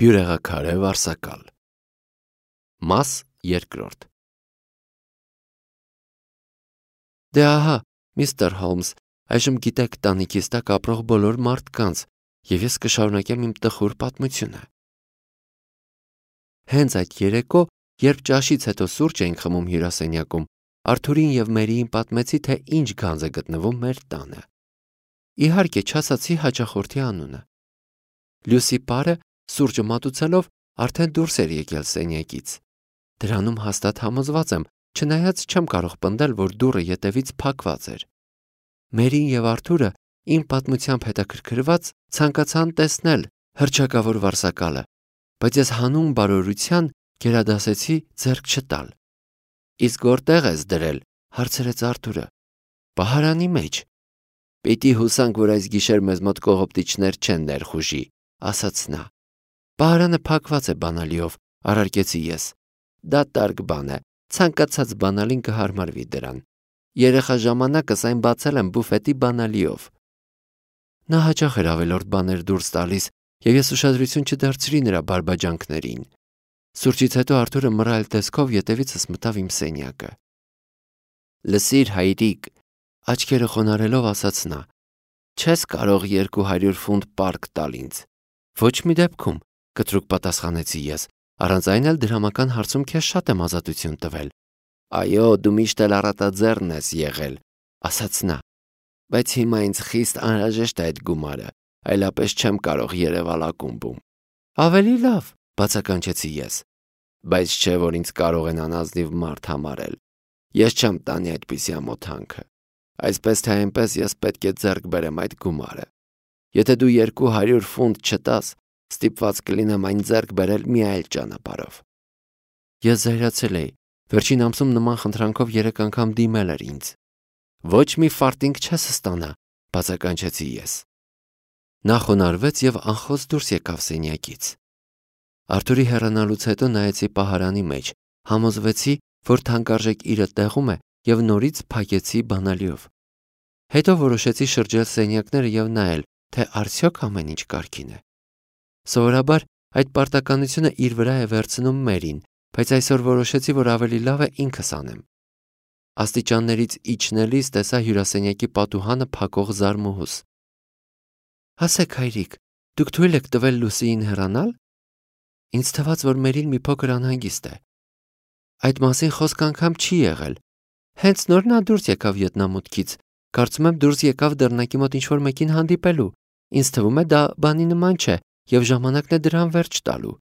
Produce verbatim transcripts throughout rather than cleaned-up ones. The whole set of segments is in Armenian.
Բյուրեղաքարե վարսակալ։ Մաս երկրորդ։ Դե ահա, միստր Հոլմս, այժմ գիտեք տանիքիս տակ ապրող բոլոր մարդկանց, եւ ես կշարունակեմ իմ տխուր պատմությունը։ Հենց այդ երեկո, երբ ճաշից հետո սուրճ էինք խմում հյուրասենյակում, Արթուրին եւ Մերիին պատմեցի, թե ինչ գանձ է գտնվում մեր տանը։ Իհարկե, չասացի հաճախորդի անունը։ Լյուսի պարը, սուրճը մատուցելով, արդեն դուրս էր եկել սենյակից։ Դրանում հաստատ համոզված եմ, չնայած չեմ կարող պնդել, որ դուռը ետևից փակված էր։ Մերին եւ Արթուրը, իմ պատմությամբ հետաքրքրված, ցանկացան տեսնել հռչակավոր վարսակալը, բայց ես հանուն բարօրության գերադասեցի ձեռք չտալ։ Իսկ որտեղ ես դրել, հարցրեց Արթուրը։ Պահարանի մեջ։ Պիտի հուսանք, որ այս գիշեր մեզ մոտ կողոպտիչներ չեն ներխուժի, ասաց նա։ Պահարանը փակված է բանալիով, առարկեցի ես։ Դա տարգ բան է, ցանկացած բանալին կհարմարվի դրան։ Երեխա ժամանակս այն բացել եմ բուֆետի բանալիով։ Նա հաճախ էր ավելորդ բաներ դուրս տալիս, եւ ես ուշադրություն չդարձրի նրա բարբաջանքներին։ Սուրճից հետո Արթուրը մռայլ տեսքով ետևիցս մտավ իմ սենյակը։ Լսիր, հայրիկ, աչքերը խոնարելով ասաց նա, չես կարող երկու հարյուր ֆունտ պարկ տալ ինձ։ Ոչ մի դեպքում, կտրուկ պատասխանեցի ես, առանց այն էլ դրամական հարցում քեզ շատ եմ ազատություն տվել։ Այո, դու միշտ էլ առատաձեռն ես եղել, ասաց նա, բայց հիմա ինձ խիստ անհրաժեշտ է այդ գումարը, այլապես չեմ կարող Երևալ ակումբում։ Ավելի լավ, բացականչեցի ես, բայց չէ, որ ինձ կարող են անազնիվ մարդ համարել։ Ես չեմ տանի այդպիսի ամոթանքը։ Այսպես թե այնպես ես պետք է ձեռք բերեմ այդ գումարը։ Եթե դու երկու հարյուր ֆունտ չտաս, ստիպված կլինեմ այն ձեռք բերել մի այլ ճանապարհով։ Ես զայրացել էի, վերջին ամսում նման խնդրանքով երեք անգամ դիմել էր ինձ։ Ոչ մի ֆարտինգ չես ստանա, բացականչեցի ես։ Նա խոնարհվեց եւ անխոս դուրս եկավ սենյակից։ Արթուրի հեռանալուց հետո նայեցի պահարանի մեջ, համոզվեցի, որ թանկարժեք իրը տեղում է եւ նորից փակեցի բանալիով։ Հետո որոշեցի շրջել սենյակները եւ նայել, թե արդյոք ամեն ինչ կարգին է։ Սովորաբար այդ պարտականությունը իր վրա է վերցնում Մերին, բայց այսօր որոշեցի, որ ավելի լավ է ինքս անեմ։ Աստիճաններից իջնելիս տեսա հյուրասենյակի պատուհանը փակող զարմուհուս։ Ասեք, հայրիկ, դուք թույլ եք տվել Լուսիին հեռանալ։ Ինձ թվաց, որ Մերին մի փոքր անհանգիստ է։ Այդ մասին խոսք անգամ չի եղել։ Հենց նոր նա դուրս եկավ ետնամուտքից, կարծում եմ դուրս եկավ դռնակի մոտ ինչ-որ մեկին հանդիպելու։ Ինձ թվում է դա բանի նման չէ եւ ժամանակն է դրան վերջ տալու։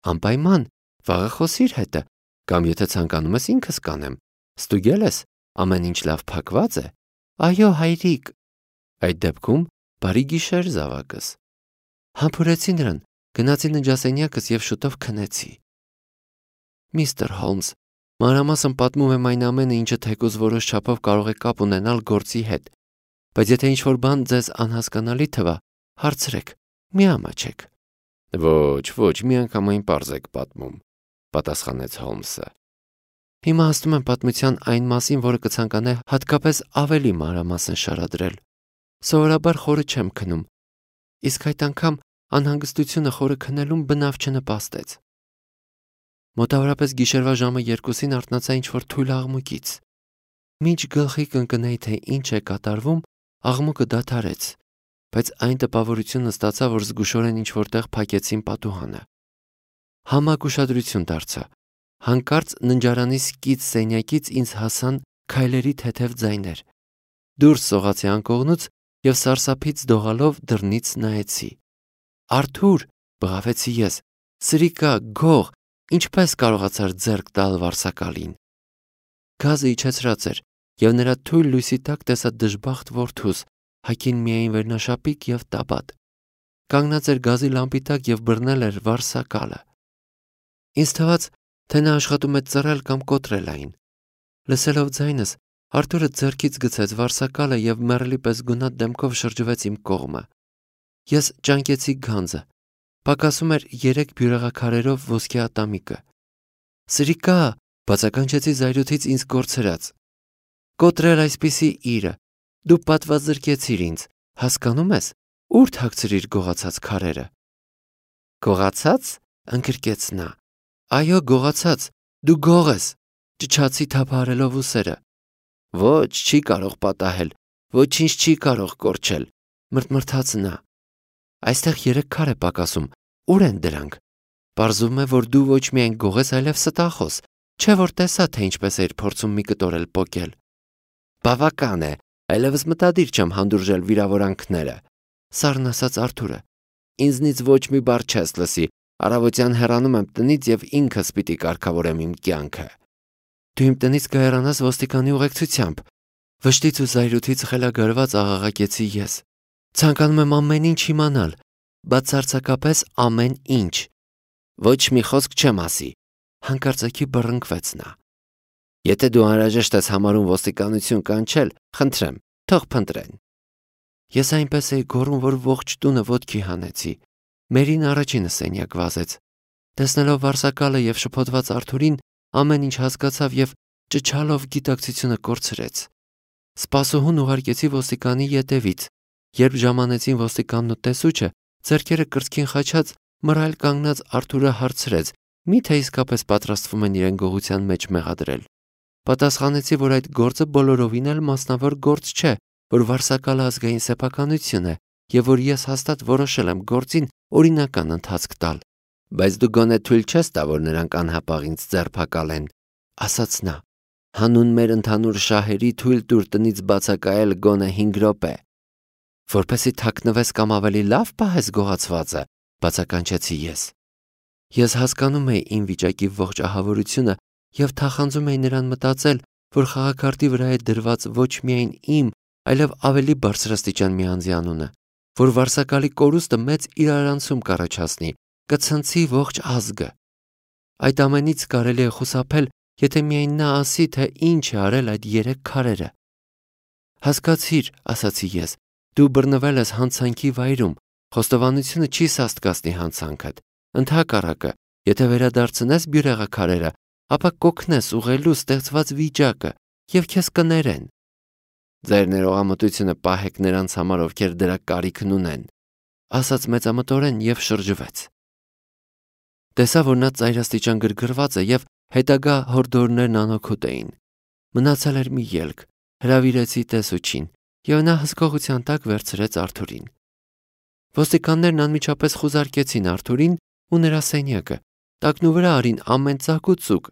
Անպայման, վաղը խոսիր հետը, կամ եթե ցանկանում ես ինքս կանեմ։ Ստուգել ես, ամեն ինչ լավ փակված է։ Այո, հայրիկ։ Այդ դեպքում բարի գիշեր, զավակս։ Համբուրեցի նրան, գնացի ննջասենյակս եւ շուտով քնեցի։ Միստր Հոլմս, մանրամասն պատմում եմ այն ամենը, ինչը թեկուզ որոշ չափով կարող է կապ ունենալ գործի հետ, բայց եթե ինչ-որ բան ձեզ անհասկանալի թվա, հարցրեք, մի ամաչեք։ Ոչ, ոչ, միանգամայն պարզ եք պատմում, պատասխանեց Հոլմսը։ Հիմա հասնում եմ պատմության այն մասին, որը կցանկանա հատկապես ավելի մանրամասն շարադրել։ Սովորաբար խորը չեմ քնում, իսկ այդ անգամ անհանգստությունը խորը քնելուն բնավ չնպաստեց։ Մոտավորապես գիշերվա ժամը երկուսին արթնացա ինչ-որ թույլ աղմուկից։ Մինչ գլխի կընկնեի, թե ինչ է կատարվում, աղմուկը դադարեց, բայց այն տպավորությունը ստացա, որ զգուշորեն ինչ-որտեղ փակեցին պատուհանը։ Համակ ուշադրություն դարձա։ Հանկարծ ննջարանի սկիծ սենյակից ինձ հասան քայլերի թեթև ձայներ։ Դուրս սողացի անկողնուց եւ սարսափից դողալով դռնից նայեցի։ Արթուր, բղավեցի ես, սրիկա, գող, ինչպես կարողացար ձեռք տալ վարսակալին։ Գազը իջեցրած էր եւ նրա թույլ լույսի տակ տեսա դժբախտ որդուս, հագին միայն վերնաշապիկ եւ տաբատ։ Կանգնած էր գազի լամպի տակ եւ բռնել էր վարսակալը։ Ինձ թվաց, թե նա աշխատում է ծռել կամ կոտրել այն։ Լսելով ձայնս, Արթուրը ձեռքից գցեց վարսակալը եւ մեռելի պես գունատ դեմքով շրջվեց իմ կողմը։ Ես ճանկեցի գանձը։ Պակասում էր երեք բյուրեղաքարերով ոսկե ատամիկը։ Սրիկա, բացականչեցի զայրույթից ինձ կորցրած։ Կոտրել այսպիսի իրը։ Դու պատվազրկեցիր ինձ, հասկանում ես, ուր թաքցրիր գողացած քարերը։ Գողացած, ընկրկեց նա։ Այո, գողացած, դու գող ես, ճչացի թափահարելով ուսերը։ Ոչ, չի կարող պատահել, ոչինչ չի կարող կորչել, մրթմրթաց նա։ Այստեղ երեք քար է պակասում, ուր են դրանք։ Պարզվում է, որ դու ոչ միայն գող ես, այլև ստախոս, չէ որ տեսա, թե ինչպես էիր փորձում մի կտոր էլ պոկել։ Բավական է, այլևս մտադիր չեմ հանդուրժել վիրավորանքները, սառն ասաց Արթուրը։ Ինձնից ոչ մի բառ չես լսի, առավոտյան հեռանում եմ տնից եւ ինքս պիտի կարգավորեմ իմ կյանքը։ Դու իմ տնից կհեռանաս ոստիկանի ուղեկցությամբ, վշտից ու զայրույթից խելագարված աղաղակեցի ես։ Ցանկանում եմ ամեն ինչ իմանալ, բացարձակապես ամեն ինչ։ Ոչ մի խոսք չեմ ասի, հանկարծակի բռնկվեց նա։ Եթե դու անհրաժեշտ ես համարում ոստիկանություն կանչել, խնդրեմ, թող փնտրեն։ Ես այնպես էի գոռում, որ ողջ տունը ոտքի հանեցի։ Մերին առաջինը սենյակ վազեց։ Տեսնելով վարսակալը եւ շփոթված Արթուրին, ամեն ինչ հասկացավ եւ ճչալով գիտակցությունը կորցրեց։ Սպասուհուն ուղարկեցի ոստիկանի ետևից։ Երբ ժամանեցին ոստիկանն ու տեսուչը, ձեռքերը կրծքին խաչած, մռայլ կանգնած Արթուրը հարցրեց. Մի՞թե իսկապես պատրաստվում են իրեն գողության մեջ մեղադրել։ Պատասխանեցի, որ այդ գործը բոլորովին էլ մասնավոր գործ չէ, որ վարսակալը ազգային սեփականություն է եւ որ ես հաստատ որոշել եմ գործին օրինական ընթացք տալ։ Բայց դու գոնե թույլ չես տա, որ նրանք անհապաղ ինձ ձերբակալեն, ասաց նա։ Հանուն մեր ընդհանուր շահերի թույլ տուր տնից բացակայել գոնե հինգ րոպե։ Որպեսզի թաքնվես կամ ավելի լավ պահես գողացվածը, բացականչեցի ես։ Ես հասկանում էի իմ վիճակի ողջ ահավորությունը եւ թախանձում էի նրան մտածել, որ խաղաքարտի վրա է դրված ոչ միայն իմ, այլև ավելի բարձրաստիճան մի անձի անունը, որ վարսակալի կորուստը մեծ իրարանցում կառաջացնի, կցնցի ողջ ազգը։ Այդ ամենից կարելի է խուսափել, եթե միայն նա ասի, թե ինչ է արել այդ երեք քարերը։ Հասկացիր, ասացի ես, դու բռնվել ես հանցանքի վայրում, խոստովանությունը չի սաստկացնի հանցանքդ։ Ընդհակառակը, եթե վերադարձնես բյուրեղաքարերը, ապա կօգնես ուղղելու ստեղծված վիճակը եւ քեզ կներեն։ Ձեր ներողամտությունը պահեք նրանց համար, ովքեր դրա կարիքն ունեն, ասաց մեծամտորեն եւ շրջվեց։ Տեսա, որ նա ծայրաստիճան գրգռված է եւ հետագա հորդորներն անօգուտ էին։ Մնացել էր մի ելք, հրավիրեցի տեսուչին եւ նա հսկողության տակ վերցրեց Արթուրին։ Ոստիկաններն անմիջապես խուզարկեցին Արթուրին ու նրա սենյակը, տակնուվրա արին ամեն ծակ ու ծուկ,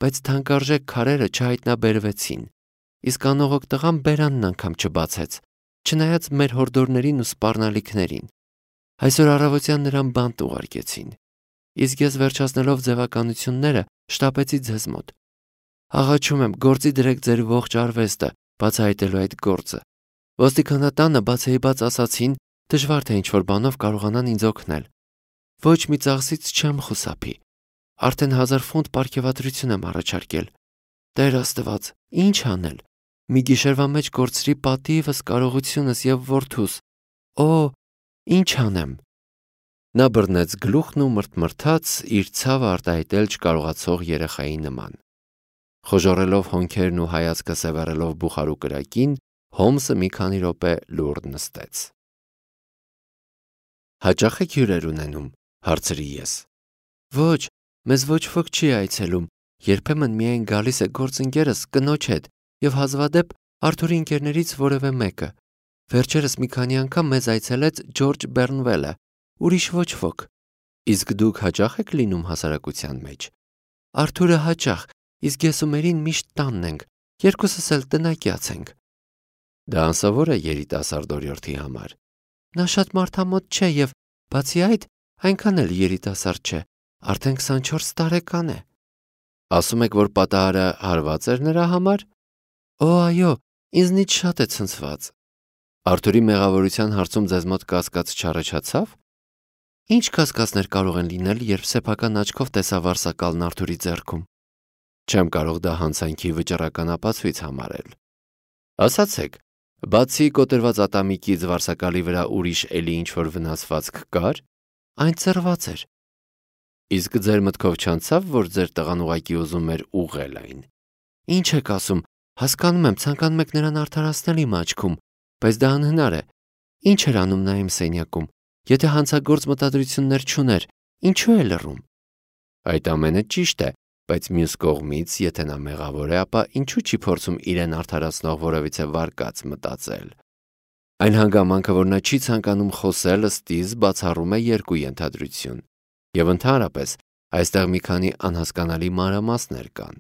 բայց թանկարժեք քարերը չհայտնաբերվեցին, իսկ անողոք տղան բերանն անգամ չբացեց, չնայած մեր հորդորներին ու սպառնալիքներին։ Այսօր առավոտյան նրան բանտ ուղարկեցին, իսկ ես վերջացնելով ձևականությունները շտապեցի ձեզ մոտ։ Աղաչում եմ, գործի դրեք ձեր ողջ արվեստը, բացահայտելու այդ գործը։ Ոստիկանատանը բացեիբաց ասացին, դժվար թե ինչ-որ բանով կարողանան ինձ օգնել։ Ոչ մի ծախսից չեմ խուսափի։ Արդեն հազար ֆունտ պարգևատրություն եմ առաջարկել։ Տեր Աստված, ինչ անել։ Մի գիշերվա մեջ կորցրի պատիվս, կարողությունս եւ որդուս։ Օ, ինչ անեմ։ Նա բռնեց գլուխն ու մրթմրթաց, իր ցավը արտահայտել չկարողացող երեխայի նման։ Խոժոռելով հոնքերն ու հայացքը սևեռելով բուխարու կրակին, Հոմսը մի քանի րոպե լուռ նստեց։ Հաճախ եք հյուրեր ունենում, հարցրի ես։ Ոչ, մեզ ոչ ոք չի այցելում, երբեմն միայն գալիս է գործընկերս կնոջ հետ եւ հազվադեպ Արթուրի ընկերներից որևէ մեկը։ Վերջերս մի քանի անգամ մեզ այցելեց Ջորջ Բեռնվելը, ուրիշ ոչ ոք։ Իսկ դուք հաճախ եք լինում հասարակության մեջ։ Արթուրը հաճախ, իսկ ես ու Մերին միշտ տանն ենք, երկուսս էլ տնակյաց ենք։ Դա անսովոր է երիտասարդ օրիորդի համար։ Նա շատ մարդամոտ չէ եւ բացի այդ, այնքան էլ երիտասարդ չէ, արդեն քսանչորս տարեկան է։ Ասում եք, որ պատահարը հարված էր նրա համար։ Օ, այո, ինձնից շատ է ցնցված։ Արթուրի մեղավորության հարցում ձեզ մոտ կասկած չառաջացավ։ Ինչ կասկածներ կարող են լինել, երբ սեփական աչքով տեսա վարսակալն Արթուրի ձեռքում։ Չեմ կարող դա հանցանքի վճռական ապացույց համարել։ Ասացեք, բացի կոտրված ատամիկից վարսակալի վրա ուրիշ էլի ինչ-որ վնասվածք կար, այն ծռված էր։ Իսկ ձեր մտքով չանցավ, որ ձեր տղան ուղակի ուզում էր ուղղել այն։ Ինչ եք ասում, հասկանում եմ, ցանկանում եք նրան արդարացնել իմ աչքում, բայց դա անհնար է։ Ինչ էր անում նա իմ սենյակում։ Եթե հանցագործ մտադրություններ չուներ, Ինչու է լռում։ Այդ ամենը ճիշտ է, բայց մյուս կողմից, եթե նա մեղավոր է, ապա ինչու չի փորձում իրեն արդարացնող որևիցե վարկած մտածել։ Այն հանգամանքը, որ նա չի ցանկանում խոսել, ըստիս բացառում է երկու ենթադրություն, եւ ընդհանրապես այստեղ մի քանի անհասկանալի մանրամասներ կան։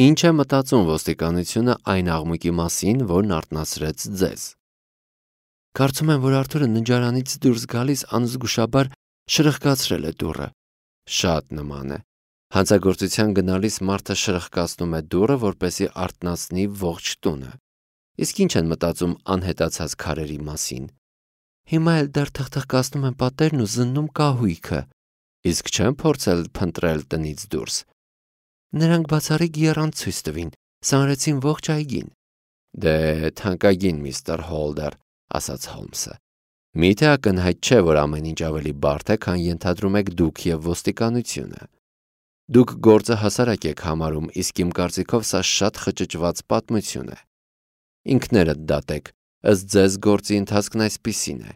Ինչ է մտածում ոստիկանությունը այն աղմուկի մասին, որն արթնացրեց ձեզ։ Կարծում եմ, որ Արթուրը ննջարանից դուրս գալիս անզգուշաբար շրխկացրել է դուռը։ Շատ նման է։ Հանցագործության գնալիս մարդը շրխկացնում է դուռը, որպեսզի արթնացնի ողջ տունը։ Իսկ ինչ են մտածում անհետացած քարերի մասին։ Հիմա էլ դեռ թխթխկացնում են պատերն ու զննում կահույքը, իսկ չեն փորձել փնտրել տնից դուրս։ Նրանք բացառիկ եռան ցույց տվին, սանրեցին ողջ այգին։ Դե թանկագին միստր Հոլդեր, ասաց Հոլմսը։ Միթե ակնհայտ չէ, որ ամեն ինչ ավելի բարդ է, քան ենթադրում եք դուք եւ ոստիկանությունը։ Դուք գործը հասարակ եք համարում, իսկ իմ կարծիքով սա շատ խճճված պատմություն է։ Ինքներդ դատեք, ըստ ձեզ գործի ընթացքն այսպիսին է։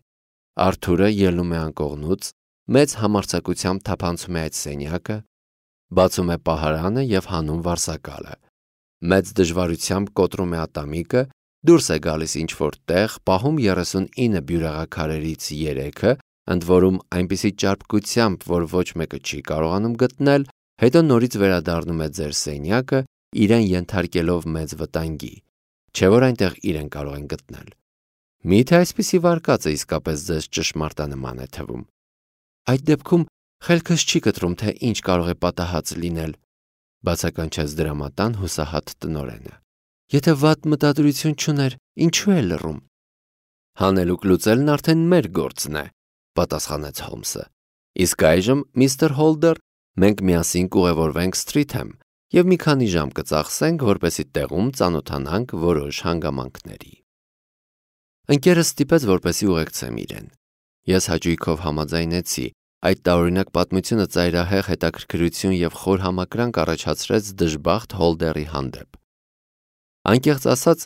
Արթուրը ելնում է անկողնուց, մեծ համարձակությամբ թափանցում է այդ սենյակը, բացում է պահարանը եւ հանում վարսակալը։ Մեծ դժվարությամբ կոտրում է ատամիկը, դուրս է գալիս ինչ-որ տեղ, պահում երեսունինը բյուրեղաքարերից երեքը, ընդ որում այնպիսի ճարպկությամբ, որ ոչ մեկը չի կարողանում գտնել, հետո նորից վերադառնում է ձեր սենյակը, իրեն ենթարկելով մեծ վտանգի, չէ որ այնտեղ իրեն կարող են գտնել։ Միթե այսպիսի վարկածը իսկապես ձեզ ճշմարտանման է թվում։ Այդ դեպքում խելքս չի կտրում, թե ինչ կարող է պատահած լինել, բացականչեց դրամատան հուսահատ տնօրենը։ Եթե վատ մտադրություն չուներ, ինչու է լռում։ Հանելուկ լուծելն արդեն մեր գործն է, պատասխանեց Հոլմսը։ Իսկ այժմ, միստր Հոլդեր, մենք միասին կուղևորվենք Սթրիթեմ եւ մի քանի ժամ կծախսենք, որպեսզի տեղում ծանոթանանք որոշ հանգամանքների։ Ընկերս ստիպեց, որպեսզի ուղեկցեմ իրեն։ Ես հաճույքով համաձայնեցի։ Այդ տարօրինակ պատմությունը ծայրահեղ հետաքրքրություն եւ խոր համակրանք առաջացրեց դժբախտ Հոլդերի հանդեպ։ Անկեղծ ասած,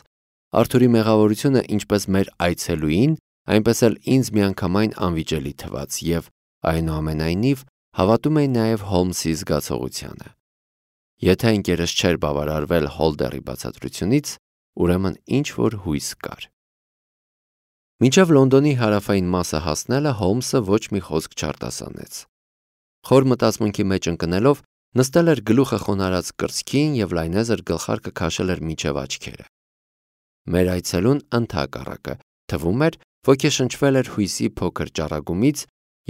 Արթուրի մեղավորությունը ինչպես մեր այցելուին, այնպես էլ ինձ միանգամայն անվիճելի թվաց եւ այնուամենայնիվ հավատում էի նաեւ Հոլմսի զգացողությանը։ Եթե ընկերս չէր բավարարվել Հոլդերի բացատրությունից, ուրեմն ինչ որ հույս կար։ Մինչև Լոնդոնի հարավային մասը հասնելը Հոլմսը ոչ մի խոսք չարտասանեց։ Խոր մտածմունքի մեջ ընկնելով նստել էր գլուխը խոնարհած կրծքին եւ լայնեզր գլխարկը քաշել էր միջև աչքերը։ Մեր այցելուն ընդհակառակը թվում էր, ոգեշնչվել էր հույսի փոքր ճառագումից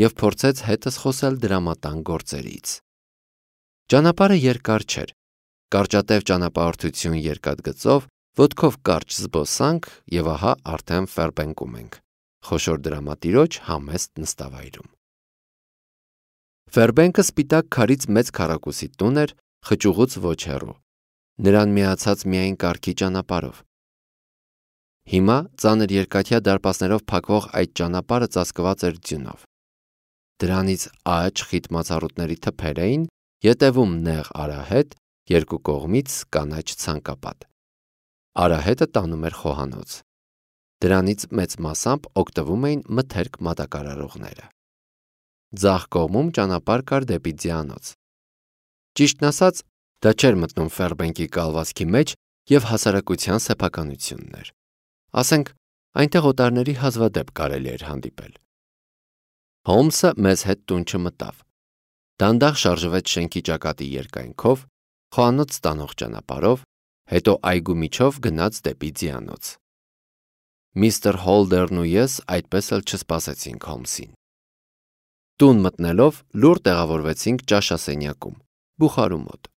եւ փորձեց հետս խոսել դրամատան գործերից։ Ճանապարհը երկար չէր։ Կարճատև ճանապարհորդություն երկաթգծով, ոտքով կարճ զբոսանք եւ ահա արդեն Ֆերբենկում ենք, խոշոր դրամատիրոջ համեստ նստավայրում։ Ֆերբենկը սպիտակ քարից մեծ քառակուսի տուն էր, խճուղուց ոչ հեռու։ Նրան միացած միայն կառքի ճանապարհով։ Հիմա ծանր երկաթյա դարպասներով փակվող այդ ճանապարհը ծածկված էր ձյունով։ Դրանից աջ խիտ մացառուտների թփեր էին, ետևում նեղ արահետ, երկու կողմից կանաչ ցանկապատ։ Արահետը տանում էր խոհանոց։ Դրանից մեծ մասամբ օգտվում էին մթերք մատակարարողները։ Ձախ կողմում ճանապարհ կար դեպի ձիանոց։ Ճիշտն ասած, դա չէր մտնում Ֆերբենկի կալվածքի մեջ եւ հասարակության սեփականությունն էր։ Ասենք, այնտեղ օտարների հազվադեպ կարելի էր հանդիպել։ Հոլմսը մեզ հետ տուն չմտավ։ Դանդաղ շարժվեց շենքի ճակատի երկայնքով, խոհանոց ստանող ճանապարհով, հետո այգու միջով գնաց դեպի ձիանոց։ Միստր Հոլդերն ու ես այդպես էլ չսպասեցինք Հոլմսին։ Տուն մտնելով լուռ տեղավորվեցինք ճաշասենյակում, բուխարու մոտ։